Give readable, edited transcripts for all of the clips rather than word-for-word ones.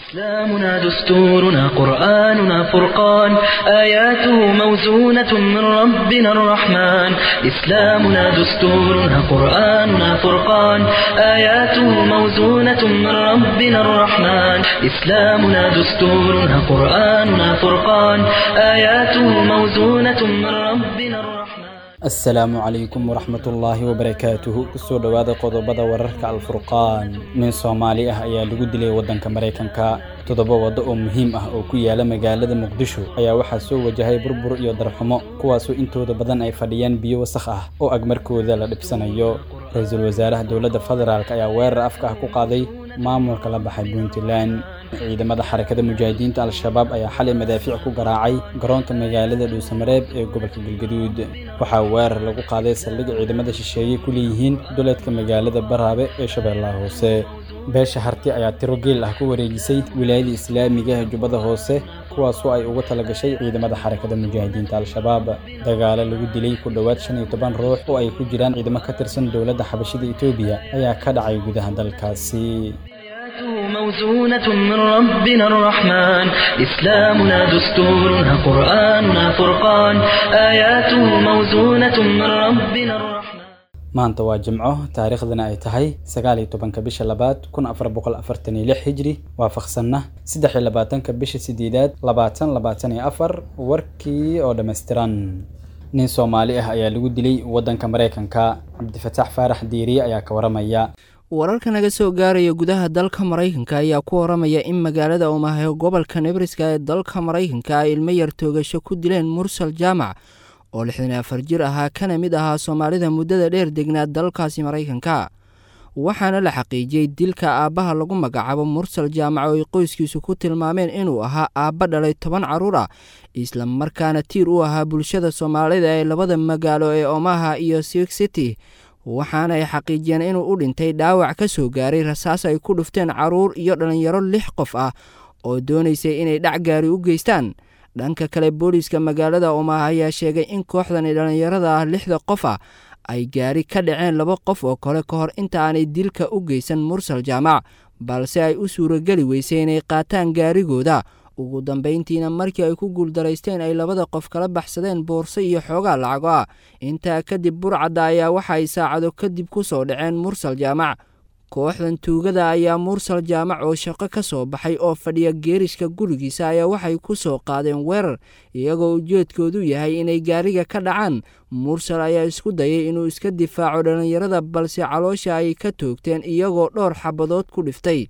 إسلامنا دستورنا قرآننا فرقان، آياته موزونة من ربنا الرحمن. إسلامنا دستورنا قرآننا فرقان، آياته موزونة من ربنا الرحمن. إسلامنا دستورنا قرآننا فرقان، آياته موزونة من ربنا الرحمن. Asalaamu calaykum waraxmatullaahi wabarakaatuhu. Kusoo dhowaada qodobada wararka Alfurqaan. Nin Soomaali ah ayaa lagu dilay waddanka Maraykanka. 7 waddo oo muhiim ah oo ku yaala magaalada Muqdisho ayaa waxaa soo wajahay burbur iyo darxumo, kuwaasoo intooda badan ay fadhiyaan biyo wasakh ah oo agmarkooda la dhibsanayo. Ra-iisul wasaaraha dowladda federaalk ayaa weerar afka ah ku qaaday maamulka la baxay Puntland. Ciidamada Xarakada Mujaahidiinta Al-Shabaab ayaa xalay madaafiic ku garaacay garoonka magaalada Dhuusamareeb ee gobolka Galgaduud. Waxaa weerar lagu qaaday saldhig ciidamada shisheeye ku leeyihiin duleedka magaalada Baraabe ee Shabeellaha Hoose. Beesha Harti ayaa tiro geel ah ku wareejisay wilaayada islaamiga ee Jubbada Hoose, kuwaasoo ay ugu talagashay ciidamada Xarakada Mujaahidiinta Al-Shabaab. Dagaalo lagu dilay ku dhowaad 15 ruux oo ay ku jiraan ciidamo ka tirsan dowladda Xabashida Itoobiya ayaa ka dhacay gudaha dalkaasi. آياته موزونة من ربنا الرحمن، إسلامنا دستورنا قرآننا فرقان، آياته موزونة من ربنا الرحمن. Maanta waa Jimco, taariikhdana ay tahay 19-ka bisha labaad 1446 hijri, waafaqsanna 23-ka bisha sideedaad 2024. Warkii oo dhammaystiran. Nin Soomaali ah ayaa lagu dilay waddanka Maraykanka. Cabdifataax Faarax Diiriye ayaa ka waramaya. Wararka naga soo gaaraya gudaha dalka Maraykanka ayaa ku waramaya in magaalada Omaha gobolka Nebraska ee dalka Maraykanka ay ilmo yar toogasho ku dileen Mursal Jaamac oo 64 jir ahaa, kana mid ahaa Soomaalida muddada dheer degnaa dalkaasi Maraykanka. Waxaana la xaqiijiyey dilka aabbaha lagu magacaabo Mursal Jaamac oo ay qoyskiisu ku tilmaameen inuu ahaa aabba dhalay 10 carruur ah, isla markaana tiir u ahaa bulshada Soomaalida ee labada magaalo ee Omaha iyo Sioux City. Waxaana ay xaqiijiyeen inuu u dhintay dhaawac ka soo gaaray rasaas ay ku dhufteen carruur iyo dhallinyaro 6 qof ah oo doonaysay inay dhac gaari u geystaan. Dhanka kale, booliiska magaalada Omaha ayaa sheegay in kooxdani dhallinyarada ah 6da qof ah ay gaari ka dhaceen 2 qof oo kale ka hor inta aanay dilka u geysan Mursal Jaamac, balse ay u suurageli weysay inay qaataan gaarigooda. Ugu dambayntiina markii ay ku guuldaraysteen ay labada qof kala baxsadeen boorso iyo xoogaa lacago ah. Intaa kadib burcadda ayaa waxa ay saacado kadib ku soo dhaceen Mursal Jaamac. Kooxdan tuugada ayaa Mursal Jaamac oo shaqo ka soo baxay oo fadhiya geerishka gurigiisa ayaa waxay ku soo qaadeen weerar, iyagoo ujeedkoodu yahay inay gaariga ka dhacaan. Mursal ayaa isku dayay inuu iska difaaco dhallinyarada, balse caloosha ay ka toogteen iyagoo dhowr xabadood ku dhiftay.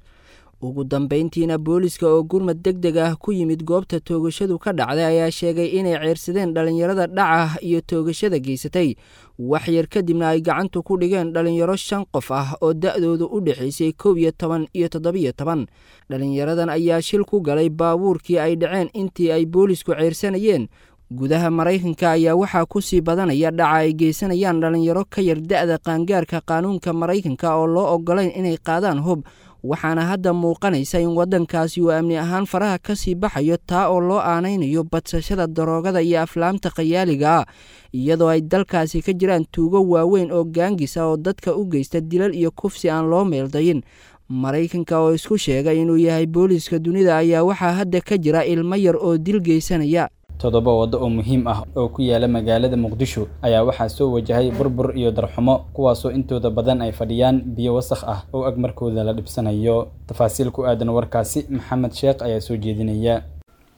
Ugu dambayntiina booliiska oo gurmad deg deg ah ku yimid goobta toogashadu ka dhacday ayaa sheegay inay ceyrsadeen dhallinyarada dhaca iyo toogashada geysatay. Wax yar kadibna ay gacantu ku dhigeen dhallinyaro 5 qof ah oo da-doodu u dhexaysay 11 iyo 17. Dhallinyaradan ayaa shil ku galay baabuurkii ay dhaceen intii ay boolisku ceyrsanayeen. Gudaha Maraykanka ayaa waxaa kusii badanaya dhaca ay geysanayaan dhallinyaro ka yar da-da qaangaarka qaanuunka Maraykanka oo loo ogolayn inay qaadaan hub, waxaana hadda muuqanaysa in waddankaasi uu amni ahaan faraha ka sii baxayo, taa oo loo aanaynayo badsashada daroogada iyo aflaamta khayaaliga ah, iyadoo ay dalkaasi ka jiraan tuugo waaweyn oo gaangis ah oo dadka u geysta dilal iyo kufsi aan loo meeldayin. Maraykanka oo isku sheegay inuu yahay booliiska dunida ayaa waxaa hadda ka jira ilmo yar oo dil geysanaya. 7 waddo oo muhiim ah oo ku yaala magaalada Muqdisho ayaa waxaa soo wajahay burbur iyo darxumo, kuwaasoo intooda badan ay fadhiyaan biyo wasakh ah oo agmarkooda la dhibsanayo. Tafaasiil ku aadan warkaasi Maxamed Sheekh ayaa soo jeedinaya.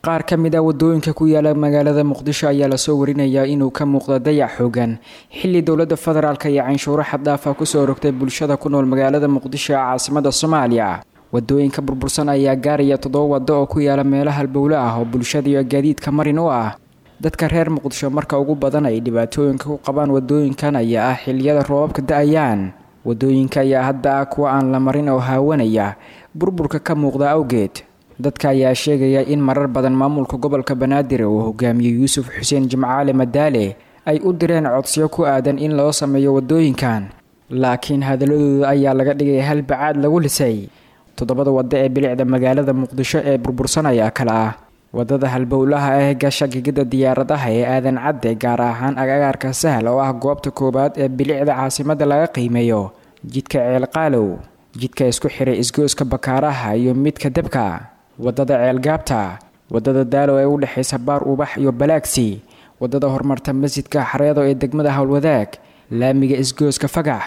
Qaar ka mid ah wadooyinka ku yaala magaalada Muqdisho ayaa lasoo warinayaa inuu ka muuqda dayac xoogan, xilli dowladda federaalka iyo canshuuro xaddaafa kusoo rogtay bulshada ku nool magaalada Muqdisho ee caasimada Soomaaliya. Wadooyinka burbursan ayaa gaaraya 7 waddo oo ku yaala meelaha halbowle ah oo bulshada iyo gaadiidka marin u ah. Dadka reer Muqdisho marka ugu badan ay dhibaatooyinka ku qabaan wadooyinkan ayaa ah xilliyada roobabka da-ayaan. Wadooyinka ayaa hadda ah kuwa aan la marin oo haawanaya burburka ka muuqda awgeed. Dadka ayaa sheegaya in marar badan maamulka gobolka Banaadir uu hogaamiyey Yuusuf Xuseen Jimcaale Madaale ay u direen codsiyo ku aadan in loo sameeyo wadooyinkan, laakiin hadaladooda ayaa laga dhigay hal bacaad lagu lisay. 7da waddo ee bilicda magaalada Muqdisho ee burbursan ayaa kale ah wadada halbowlaha ah gasha gegida diyaaradaha ee Aadan Cadde, gaar ahaan agagaarka Sahal oo ah goobta koowaad ee bilicda caasimada laga qiimeeyo, jidka Ceelqaalow, jidka isku xiray isgoyska Bakaaraha iyo midka Dabka, Wadada Ceelgaabta, wadada Daalo ee u dhexeysa Baar Ubax iyo Balaagsi, wadada horumarta masjidka Xareedo ee degmada Howlwadaag, laamiga isgooska Fagax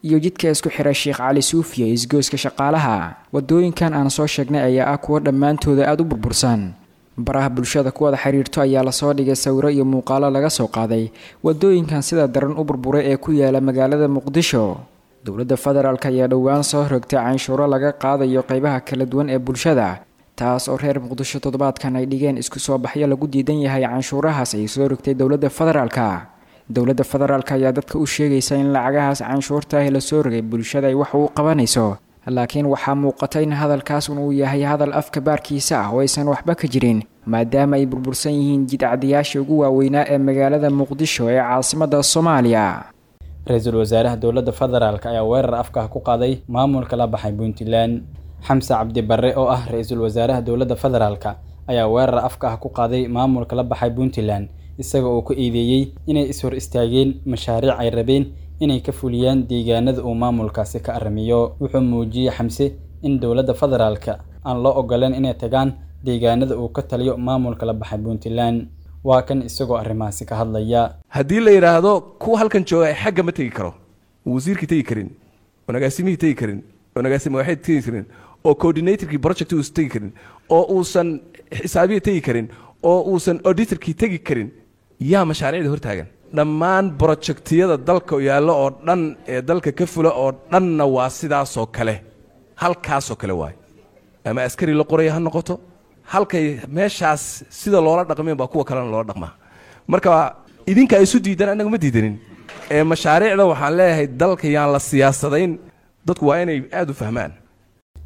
iyo jidka isku xira Sheekh Cali Suufiya isgooska Shaqaalaha. Wadooyinkan aan soo sheegnay ayaa ah kuwo dhammaantooda aada u burbursan. Baraha bulshada ku wada xiriirto ayaa lasoo dhigay sawiro iyo muuqaalo laga soo qaaday wadooyinkan sida daran u burburay ee ku yaala magaalada Muqdisho. Dowladda federaalk ayaa dhowaan soo rogtay canshuuro laga qaadayo qeybaha kala duwan ee bulshada, taas oo reer Muqdisho toddobaadkan ay dhigeen isku soo baxyo lagu diidan yahay canshuurahaas ay soo rogtay dowladda federaalka. Dowladda federaalk ayaa dadka u sheegaysa in lacagahaas canshuurta ah lasoo rogay bulshada ay wax uu qabanayso, laakiin waxaa muuqata in hadalkaas uu yahay hadal afka baarkiisa ah oo aysan waxba ka jirin, maadaama ay burbursan yihiin jidcadiyaasha ugu waaweynaa ee magaalada Muqdisho ee caasimadda Soomaaliya. Ra-iisul wasaaraha dowladda federaalk ayaa weerar afka ah ku qaaday maamulka la baxay Puntland. Xamse Cabdi Barre oo ah ra-iisul wasaaraha dowladda federaalk ayaa weerar afka ah ku qaaday maamulka la baxay Puntland, isaga oo ku eedeeyey inay is hor istaageen mashaariic ay rabeen inay ka fuliyaan deegaanada uu maamulkaasi ka arrimiyo. Wuxuu muujiyey Xamse in dowladda federaalka aan loo ogoleen inay tagaan deegaanada uu ka taliyo maamulka la baxay Puntland. Waa kan isagoo arrimahaasi ka hadlaya. Haddii la yidhaahdo kuwa halkan jooga xagga ma tegi karo, wasiirkii tegi karin, oo agaasimihii tegi karin, oo agaasime waxay tegi karin, oo coordinatorkii project uusan tegi karin, oo uusan xisaabiyi tegi karin, oo uusan auditorkii tegi karin, yaa mashaariicda hortaagan? Dhammaan projectiyada dalka yaallo oo dhan ee dalka ka fula oo dhanna waa sidaasoo kale, halkaasoo kale waayo. Ama askari la qoraya ha noqoto, halkay meeshaas sida loola dhaqmeen baa kuwa kalena loola dhaqmaa. Marka idinka isu diidan, annaga ma diidanin. Ee mashaariicda waxaan leeyahay dalka yaan la siyaasadayn, dadku waa inay aada u fahmaan.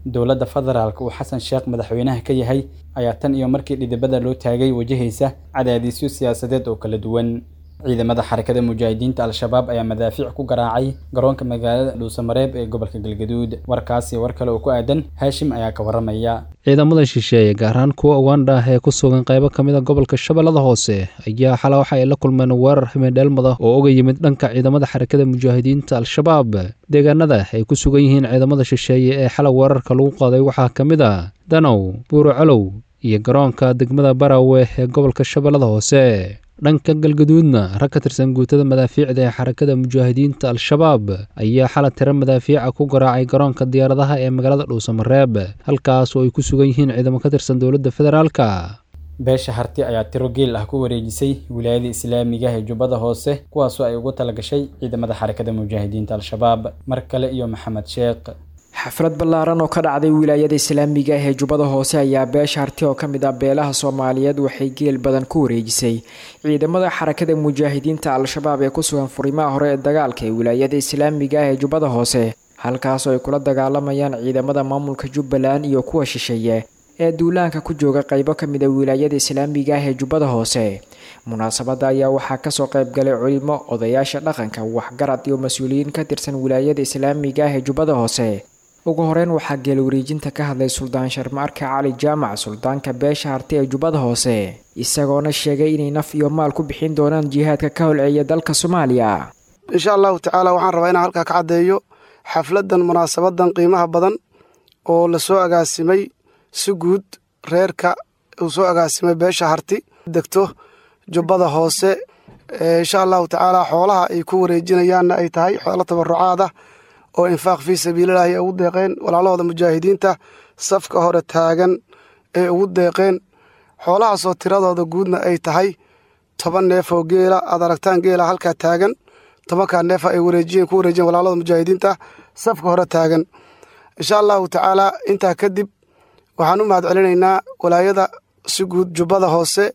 Dowladda federaalka uu Xasan Sheekh madaxweynaha ka yahay ayaa tan iyo markii dhidibada loo taagay wajahaysa cadaadisyo siyaasadeed oo kala duwan. Ciidamada Xarakada Mujaahidiinta Al-Shabaab ayaa madaafiic ku garaacay garoonka magaalada Dhuusamareeb ee gobolka Galgaduud. Warkaasi war kale oo ku aadan Haashim ayaa ka waramaya. Ciidamada shisheeye, gaar ahaan kuwa Uganda ah ee ku sugan qaybo ka mid a gobolka Shabeellada Hoose, ayaa xalay waxa ay la kulmeen weerar ximidheelmada oo uga yimid dhanka ciidamada Xarakada Mujaahidiinta Al-Shabaab. Deegaanada ay ku sugan yihiin ciidamada shisheeye ee xalay weerarka lagu qaaday waxaa ka mid ah Danow, Buuro Colow iyo garoonka degmada Barawe ee gobolka Shabeellada Hoose. Dhanka Galgaduudna, rag ka tirsan guutada madaafiicda ee Xarakada Mujaahidiinta Al-Shabaab ayaa xalay tiro madaafiica ku garaacay garoonka diyaaradaha ee magaalada Dhuusamareeb, halkaas oo ay ku sugan yihiin ciidamo ka tirsan dowladda federaalka. Beesha Harti ayaa tiro geel ah ku wareejisay wilaayada islaamiga ah ee Jubbada Hoose, kuwaasoo ay ugu talagashay ciidamada Xarakada Mujaahidiinta Al-Shabaab. Mar kale iyo Maxamed Sheekh. Xaflad ballaaran oo ka dhacday wilaayada islaamiga ah ee Jubbada Hoose ayaa beesha Harti oo ka mid ah beelaha Soomaaliyeed waxay geel badan ku wareejisay ciidamada Xarakada Mujaahidiinta Al-Shabaab ee ku sugan furimaha hore ee dagaalka ee wilaayada islaamiga ah ee Jubbada Hoose, halkaasoo ay kula dagaalamayaan ciidamada maamulka Jubbaland iyo kuwa shisheeye ee duulaanka ku jooga qaybo ka mid a wilaayada islaamiga ah ee Jubbada Hoose. Munaasabadda ayaa waxaa kasoo qaybgalay culimo, odayaasha dhaqanka, waxgarad iyo mas-uuliyiin ka tirsan wilaayada islaamiga ah ee Jubbada Hoose. Ugu horeyn waxaa geel wareejinta ka hadlay Suldaan Sharmaarka Cali Jaamac, suldaanka beesha Harti ee Jubbada Hoose, isagoona sheegay inay naf iyo maal ku bixin doonaan jihaadka ka holceeya dalka Soomaaliya. Insha Allahu tacaala waxaan rabaa inaan halkaa ka caddeeyo xafladan munaasabadan qiimaha badan oo lasoo agaasimay si guud reerka uu soo agaasimay beesha Harti degto Jubbada Hoose. Insha Allahu tacaala xoolaha ay ku wareejinayaanna ay tahay xoolo tabarucaad ah oo infaaq fii sabiililaahi ay ugu deeqeen walaalahooda mujaahidiinta safka hore taagan ay ugu deeqeen, xoolahaasoo tiradooda guudna ay tahay 10 neef oo geela. Aad aragtaan geela halkaa taagan, 10-kaa neefa ay wareejiyeen ku wareejiyeen walaalahooda mujaahidiinta safka hore taagan. Insha Allahu tacaala intaa kadib waxaan u mahad celinaynaa walaayada si guud Jubbada Hoose,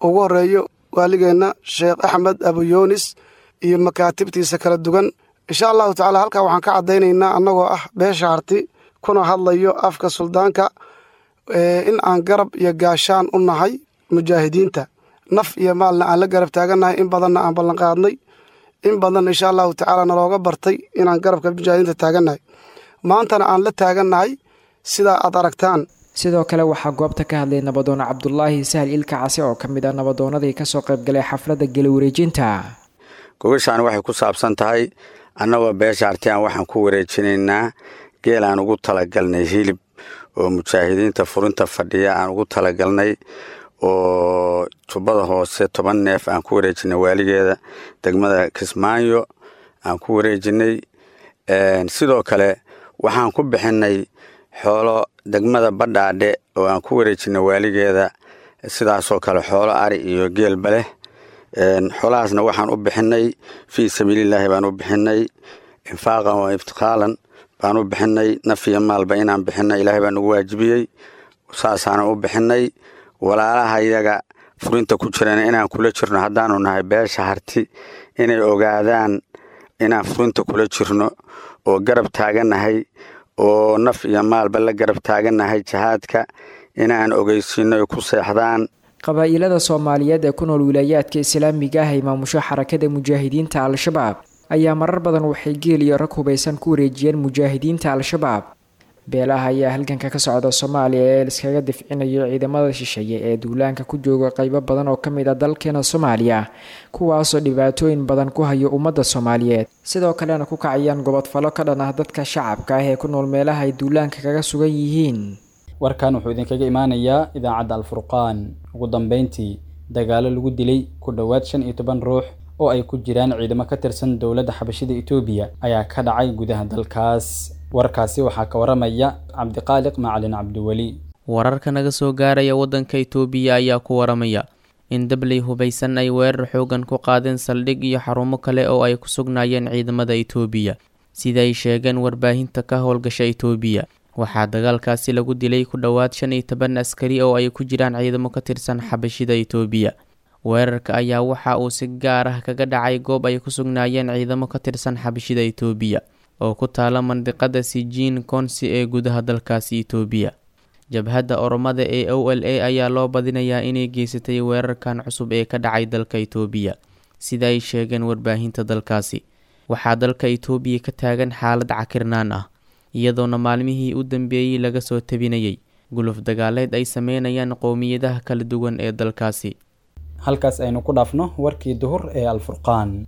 ugu horeeyo waaligeenna Sheekh Axmed Abuyoonis iyo makaatibtiisa kala duwan. Insha Allahu tacala halkaa waxaan ka caddaynaynaa annagoo ah beesha Harti kuna hadlayo afka suldaanka in aan garab iyo gaashaan u nahay mujaahidiinta, naf iyo maalna aan la garab taagannahay, in badanna aan ballanqaadnay, in badanna insha Allahu tacaala nalooga bartay inaan garabka mujaahidiinta taagannahay, maantana aan la taagannahay sidaa aad aragtaan. Sidoo kale waxaa goobta ka hadlay nabadoon Cabdulaahi Sahal Ilka Case oo ka mid ah nabadoonadii kasoo qaybgalay xafladda gela wareejinta. Gogashaan waxay ku saabsan tahay annagoo beesha Hartiyaan waxaan ku wareejinaynaa geelaan ugu talagalnay hilib oo mujaahidiinta furinta fadhiya aan ugu talagalnay, oo Jubbada Hoose 10 neef aan ku wareejinay waaligeeda degmada Kismaayo aan ku wareejinay. Sidoo kale waxaan ku bixinay xoolo degmada Badhaadhe oo aan ku wareejinay waaligeeda, sidaasoo kale xoolo ari iyo geelba leh. Xoolahaasna waxaan u bixinay fii sabiilillaahi baan u bixinay, infaaqan wa iftiqaalan baan u bixinay, naf iyo maalba inaan bixinay Ilaahay baa nagu waajibiyey, saasaana u bixinay. Walaalaha iyaga furinta ku jirana inaan kula jirno haddaanu nahay beesha Harti, inay ogaadaan inaan furinta kula jirno oo garab taagannahay oo naf iyo maalba la garab taagannahay jihaadka, inaan ogeysiino ay ku seexdaan. Qabaa-ilada Soomaaliyeed ee ku nool wilaayaadka islaamiga ah ay maamusho Xarakada Mujaahidiinta Al-Shabaab ayaa marar badan waxay geel iyo rag hubaysan ku wareejiyeen mujaahidiinta Al-Shabaab. Beelaha ayaa halganka ka socda Soomaaliya ee liskaga difcinayo ciidamada shisheeye ee duulaanka ku jooga qaybo badan oo ka mid ah dalkeena Soomaaliya, kuwaasoo dhibaatooyin badan ku hayo ummadda Soomaaliyeed, sidoo kalena ku kacayaan gobodfallo ka dhan ah dadka shacabka ah ee ku nool meelaha ay duulaanka kaga sugan yihiin. Warkan wuxuu idinkaga imaanayaa idaacadda Alfurqaan. Ugu dambeyntii, dagaalo lagu dilay ku dhowaad 15 ruux oo ay ku jiraan ciidamo ka tirsan dowladda Xabashida Itoobiya ayaa ka dhacay gudaha dalkaas. Warkaasi waxaa ka waramaya Cabdiqaaliq Macalin Cabdiweli. Wararka naga soo gaaraya waddanka Itoobiya ayaa ku waramaya in dabley hubaysan ay weerar xoogan ku qaadeen saldhig iyo xarumo kale oo ay ku sugnaayeen ciidamada Itoobiya, sida ay sheegeen warbaahinta ka howlgasha Itoobiya. Waxaa dagaalkaasi lagu dilay ku dhowaad 15 askari oo ay ku jiraan ciidamo ka tirsan Xabashida Itoobiya. Weerarka ayaa waxa uu si gaar ah kaga dhacay goob ay ku sugnaayeen ciidamo ka tirsan Xabashida Itoobiya oo ku taala mandiqada Sijiin Konsi ee gudaha dalkaasi Itoobiya. Jabhadda Oromada ee OLA ayaa loo badinayaa inay geysatay weerarkan cusub ee ka dhacay dalka Itoobiya, sida ay sheegeen warbaahinta dalkaasi. Waxaa dalka Itoobiya ka taagan xaalad cakirnaan ah, iyadoona maalmihii u dambeeyey laga soo tabinayay guluf dagaaleed ay sameynayaan qowmiyadaha kala duwan ee dalkaasi. Halkaas aynu ku dhaafno warkii duhur ee Alfurqaan.